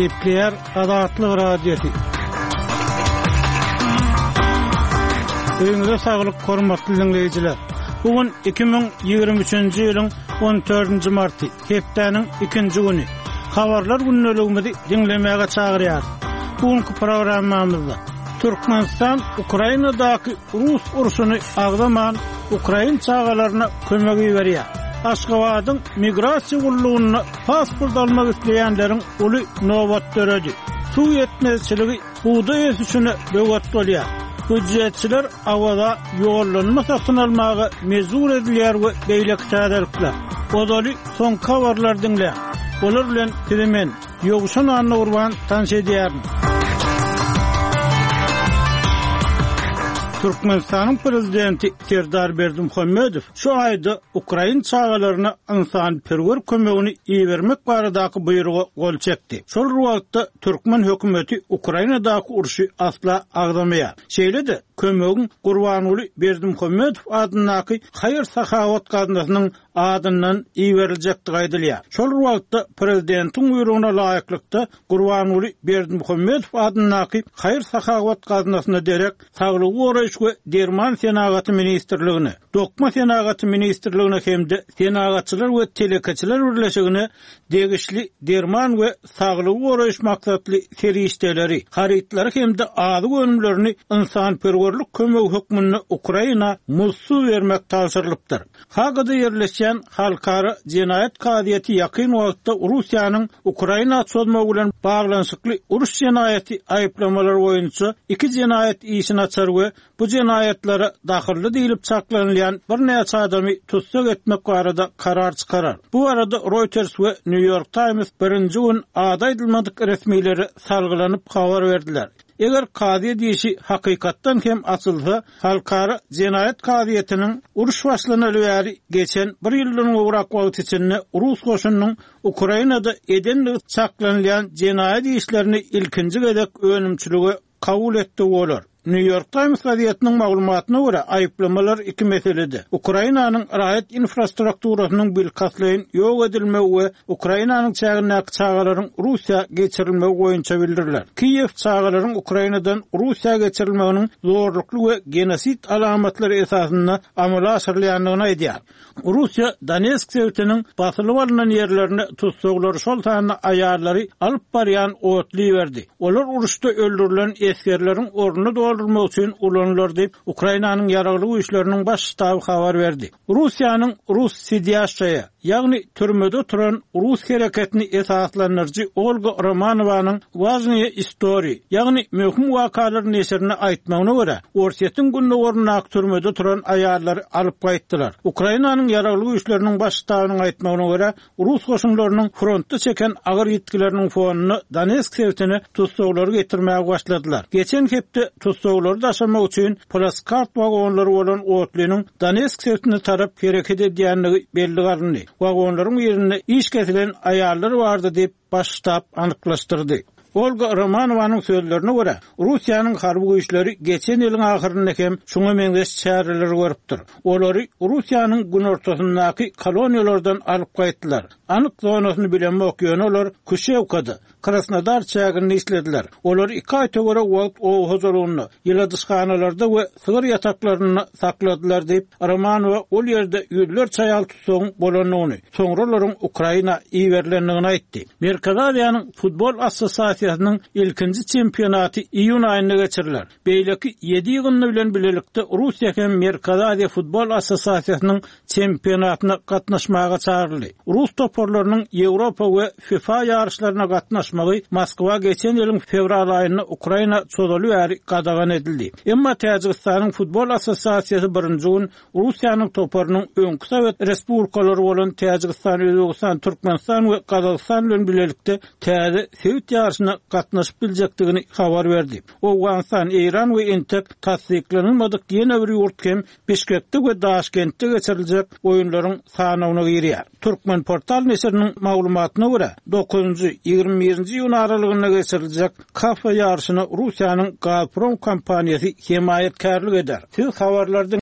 Gepleýär Azatlyk Radiosy. Öýüňize saglyk, hormatly diňleýjiler! Bu gün 2023-nji ýylyň 14-nji marty, hepdäniň ikinji güni. Habarlar gündeligimizi diňlemäge çagyrýarys. Bu günki programmamyzda Türkmenistan Ukrainadaky rus urşuny agzaman, ukrain çagalaryna kömek iberýär. Aşgabadyň migrasiýa gullugynda pasport almak isleýänleriň uly nobat döredi. Suw ýetmezçiligi bugdaý ösüşine böwet bolýar. Býujetçiler Awaza ýollanma satyn almaga mejbur edilýär we beýleki täzelikler. Ozaly soňky habarlary diňläň. Olar bilen sizi men, Ýowşan Annagurban tanyş edýärin. Türkmenistanyň Prezidenti Serdar Berdimuhamedow şu aýda ukrain çagalaryna ynsanperwer kömegini ibermek baradaky buýruga gol çekdi. Şol bir wagtda, türkmen hökümeti Ukrainadaky urşy asla agzamaýar. Şeýle-de, kömegiň Gurbanguly Berdimuhamedow adyndaky haýyr-sahawat gaznasynyň adyndan iberiljekdigi aýdylýar. Şol bir wagtda, prezidentiň buýrugyna laýyklykda, Gurbanguly Berdimuhamedow adyndaky haýyr-sahawat gaznasyna derek Saglygy goraýyş we derman senagaty ministrligine, Dokma senagaty ministrligine hem-de Senagatçylar we telekeçiler birleşigine degişli derman we saglygy goraýyş maksatly serişdeleri, harytlary hem-de azyk önümlerini ynsanperwerlik kömegi hökmünde Ukraina muzdsuz bermek tabşyrylypdyr. Hagada ýerleşýän Halkara jenaýat kazyýeti ýakyn wagtda Russiýanyň Ukraina çozmagy bilen baglanyşykly uruş jenaýaty aýyplamalary boýunça iki jenaýat işini açar we bu jenaýatlara dahylly diýlip çaklanylýan birnäçe adamy tussag etmek barada karar çykarar. Bu barada Reuters we New York Times birinji gün ady aýdylmadyk resmilere salgylanyp habar berdiler. Eger kazyýet işi hakykatdan hem açylsa, Halkara jenaýat kazyýetiniň uruş başlanaly bäri geçen bir ýyldan gowrak wagt içinde rus goşunynyň Ukrainada edendigi çaklanylýan jenaýat işlerini ilkinji gezek önümçilige kabul etdigi bolar. New York Times gazetiniň maglumatyna görä, aýyplamalar iki meselede, Ukrainanyň raýat infrastrukturasynyň bilkastlaýyn ýok edilmegi we Ukrainanyň çägindäki çagalaryň Russiýa geçirilmegi boýunça bildiriler. Kiýew çagalaryň Ukrainadan Russiýa geçirilmeginiň zorlukly we genosid alamatlary esasynda amala aşyrylýandygyny aýdýar. Russiýa Donetsk sebitiniň basylyp alnan ýerlerine tussaglary, şol sanda aýallary alyp barýan otly iberdi. Olar uruşda öldürilen esgerleriň ornuny doldurmak üçin ulanylar diýip, Ukrainanyň Ýaragly Güýçleriniň Baş ştaby habar berdi. Russiýanyň Rus sidýaşşaýa, ýagny türmede oturan rus hereketini esaslandyryjy Olga Romanowanyň Wažnyýe istoriý, ýagny Möhüm wakalar neşirine aýtmagyna görä, Orsýetiň gündogaryndaky türmede oturan aýallary alyp gaýtdylar. Ukrainanyň Ýaragly Güýçleriniň Baş ştabynyň aýtmagyna görä, Rus goşunlarynyň frontda çeken agyr ýitgileriniň fonunda Donetsk sebitine tussaglary getirmäge başladylar. Geçen hepde tussaglary daşamak üçin plaskart wagonlary bolan otlynyň Donetsk sebitine tarap hereket edýändigi bellige alyndy. Wagonlaryň birinde iş kesilen aýallar bardy diýip, Baş ştab anyklaşdyrdy. Olga Romanowanyň sözlerine görä, Russiýanyň harby güýçleri geçen ýylyň ahyrynda hem şuňa meňzeş çäreleri görüpdir. Olary Russiýanyň günortasyndaky koloniýalardan alyp gaýtdylar. Anyk zonasyny bilemok, ýöne olar Kuşewkada, Krasnodar çäginde işlediler. Olary iki aý töweregi wagt oba hojalygynda, ýyladyşhanalarda we sygyr ýataklarynda sakladylar diýip, Romanowa ol ýerde ýüzlerçe aýal tussagyn bolandygyny, soňra olaryň Ukraina iberilendigini aýtdy. Merkezi Aziýanyň Futbol assosiasiýasynyň ilkinji çempionaty iýun aýynda geçiriler. Beýleki ýedi ýygyndy bilen bilelikde Russiýa hem Merkezi Aziýa Futbol assosiasiýasynyň çempionatyna gatnaşmaga çagyryldy. Rus toparlarynyň Ýewropa we FIFA ýaryşlaryna gatnaşmagy Moskwa geçen ýylyň fewral aýynda Ukraina çozaly bäri gadagan edildi. Emma Täjigistanyň Futbol assosiasiýasy birinji gün Russiýanyň toparynyň öňki sowet respublikalary bolan Täjigistan, Özbegistan, Türkmenistan we Gazagystan bilen bilelikde täze sebit ýaryşyna gatnaşyp biljekdigini habar berdi. Owganystan, Eýran we entek tassyklanylmadyk ýene bir ýurt hem Bişkekde we Daşkentde geçiriljek oýunlaryň sanawyna girýär. Türkmenportal neşiriniň maglumatyna görä, dokuzynjy, 21-nji iýun aralygynda geçiriljek KAFA ýaryşyna Russiýanyň Gazprom kompaniýasy hemaýatkärlik eder. Siz habarlary.